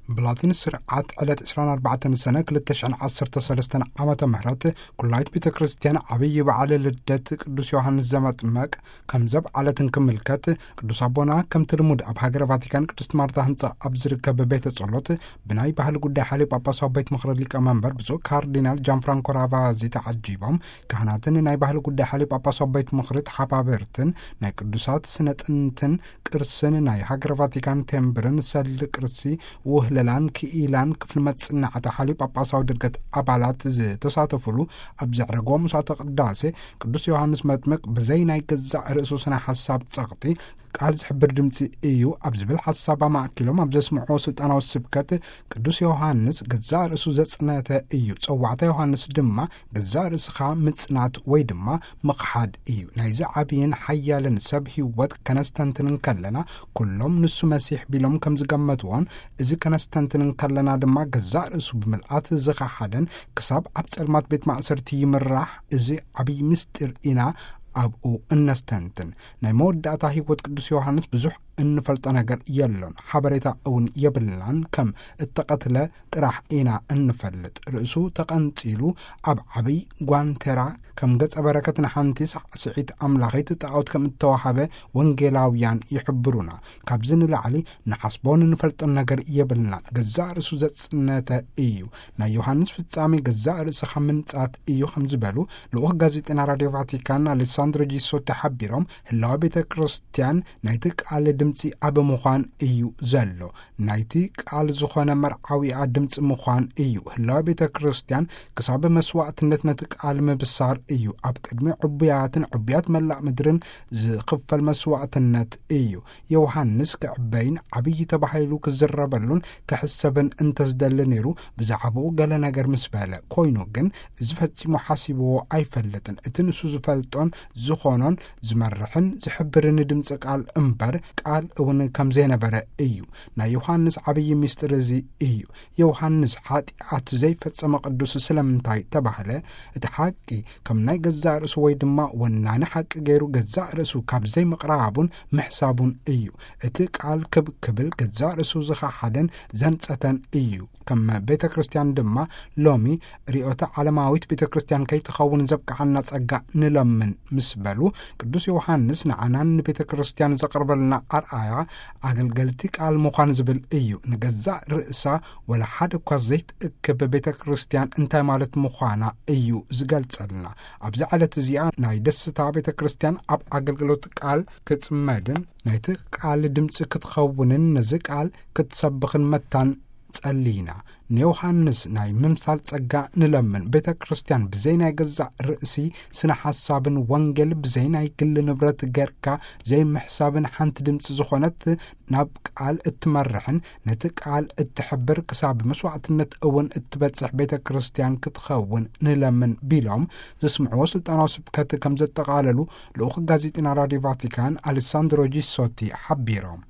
ብላቲን ስርዓት ዕለት ዕስራን ኣርባዕተን ሰነ ክልተ ሽሕን ዓሰርተ ሰለስተን ዓመተ ምህረት ኩላይት ቤተ ክርስቲያን ዓብዪ በዓል ልደት ቅዱስ ዮሃንስ ዘመጥመቅ ከም ዘብዓለት እንክምልከት፣ ቅዱስ ኣቦና ከምቲ ልሙድ ኣብ ሃገረ ቫቲካን ቅድስት ማርታ ህንፃ ኣብ ዝርከብ ቤተ ጸሎት ብናይ ባህሊ ጉዳይ ሓሊ ጳጳሳዊ ቤት ምኽሪ ሊቀ መንበር ብፁዕ ካርዲናል ጃን ፍራንኮ ራቫዚ ተዓጂቦም፣ ካህናትን ናይ ባህሊ ጉዳይ ሓሊ ጳጳሳዊ ቤት ምኽሪ ተሓባበርትን ናይ ቅዱሳት ስነ ጥንትን ቅርስን ናይ ሃገረ ቫቲካን ቴምብርን ሰል ቅርሲ ውህለላን ክኢላን ክፍሊ መጽናዕቲ ሓሊ ጳጳሳዊ ድርገት ኣባላት ዝተሳተፉሉ ኣብ ዘዕረግዎ ምሳተ ቅዳሴ፣ ቅዱስ ዮሃንስ መጥምቅ ብዘይ ናይ ገዛእ ርእሱ ስነ ሓሳብ ጸቕጢ ቃል ዝሕብር ድምፂ እዩ ኣብ ዝብል ሓሳብ ኣማእኪሎም ኣብ ዘስምዕዎ ስልጣናዊ ስብከት፣ ቅዱስ ዮሃንስ ገዛእ ርእሱ ዘጽነተ እዩ። ጸዋዕታ ዮሃንስ ድማ ገዛእ ርእስኻ ምጽናት ወይ ድማ ምኽሓድ እዩ። ናይዚ ዓብይን ሓያልን ሰብ ህይወት ከነስተንትን እንከለና፣ ኩሎም ንሱ መሲሕ ቢሎም ከም ዝገመትዎን፣ እዚ ከነስተንትን እንከለና ድማ ገዛእ ርእሱ ብምልኣት ዝኸሓደን ክሳብ ኣብ ጸልማት ቤት ማእሰርቲ ይምራሕ፣ እዚ ዓብይ ምስጢር ኢና ኣብኡ እነስተንትን። ናይ መወዳእታ ህይወት ቅዱስ ዮሃንስ ብዙሕ እንፈልጦ ነገር የሎን፣ ሓበሬታ እውን የብልናን። ከም እተቐትለ ጥራሕ ኢና እንፈልጥ። ርእሱ ተቐንጺሉ ኣብ ዓብይ ጓንቴራ ከም ገጸ በረከት ንሓንቲ ሳዕስዒት ኣምላኺት ጣዖት ከም እተዋሃበ ወንጌላውያን ይሕብሩና። ካብዚ ንላዕሊ ንሓስቦን እንፈልጦን ነገር የብልናን። ገዛእ ርእሱ ዘጽነተ እዩ። ናይ ዮሃንስ ፍጻሜ ገዛእ ርእስኻ ምንጻት እዩ ከም ዝበሉ ልኡኽ ጋዜጠና ራድዮ ቫቲካን ኣሌሳንድሮ ጂሶቲ ሓቢሮም፣ ህላወ ቤተ ክርስቲያን ናይቲ ቃል ድምፂ ኣብ ምዃን እዩ ዘሎ። ናይቲ ቃል ዝኾነ መርዓዊኣ ድምፂ ምዃን እዩ። ህላወ ቤተ ክርስቲያን ክሳብ መስዋዕትነት ነቲ ቃል ምብሳር እዩ። ኣብ ቅድሚ ዕቡያትን ዕቡያት መላእ ምድርን ዝኽፈል መስዋዕትነት እዩ። ዮሃንስ ክዕበይን ዓብዪ ተባሂሉ ክዝረበሉን ክሕሰብን እንተዝደሊ ነይሩ፣ ብዛዕባኡ ገለ ነገር ምስ በለ፣ ኮይኑ ግን እዚ ፈጺሙ ሓሲብዎ ኣይፈልጥን። እቲ ንሱ ዝፈልጦን ዝኾኖን ዝመርሕን ዝሕብርን ድምፂ ቃል እምበር፣ ቃል እውን ከም ዘይነበረ እዩ። ናይ ዮሃንስ ዓብዪ ምስጢር እዚ እዩ። ዮሃንስ ሓጢኣት ዘይፈጸመ ቅዱስ ስለምንታይ ተባህለ? እቲ ሓቂ ከም ናይ ገዛእ ርእሱ ወይ ድማ ወናኒ ሓቂ ገይሩ ገዛእ ርእሱ ካብ ዘይምቕራቡን ምሕሳቡን እዩ። እቲ ቃል ክብ ክብል ገዛእ ርእሱ ዝኸሓደን ዘንጸተን እዩ። ከም ቤተ ክርስቲያን ድማ ሎሚ ርዮተ ዓለማዊት ቤተ ክርስቲያን ከይትኸውን ዘብቅሓና ጸጋ ንለምን ምስ በሉ፣ ቅዱስ ዮሃንስ ንዓናን ንቤተ ክርስቲያን ዘቕርበልና ኣርኣያ ኣገልገልቲ ቃል ምዃን ዝብል እዩ። ንገዛእ ርእሳ ወላ ሓደ እኳ ዘይትእክብ ቤተ ክርስቲያን እንታይ ማለት ምዃና እዩ ዝገልጸልና። ኣብዚ ዕለት እዚኣ ናይ ደስታ ቤተ ክርስቲያን ኣብ ኣገልግሎት ቃል ክጽመድን ናይቲ ቃል ድምፂ ክትኸውንን ነዚ ቃል ክትሰብኽን መታን ጸሊና። ንዮሃንስ ናይ ምምሳል ጸጋ ንለምን። ቤተ ክርስቲያን ብዘይ ናይ ገዛእ ርእሲ ስነ ሓሳብን ወንጌል ብዘይ ናይ ግል ንብረት ገርካ ዘይምሕሳብን ሓንቲ ድምፂ ዝኾነት ናብ ቃል እትመርሕን ነቲ ቃል እትሕብር ክሳብ መስዋዕትነት እውን እትበጽሕ ቤተ ክርስቲያን ክትኸውን ንለምን ቢሎም ዘስምዕዎ ስልጣናዊ ስብከት ከም ዘጠቓለሉ ልኡኽ ጋዜጠና ራድዮ ቫቲካን ኣሌሳንድሮ ጂሶቲ ሓቢሮም።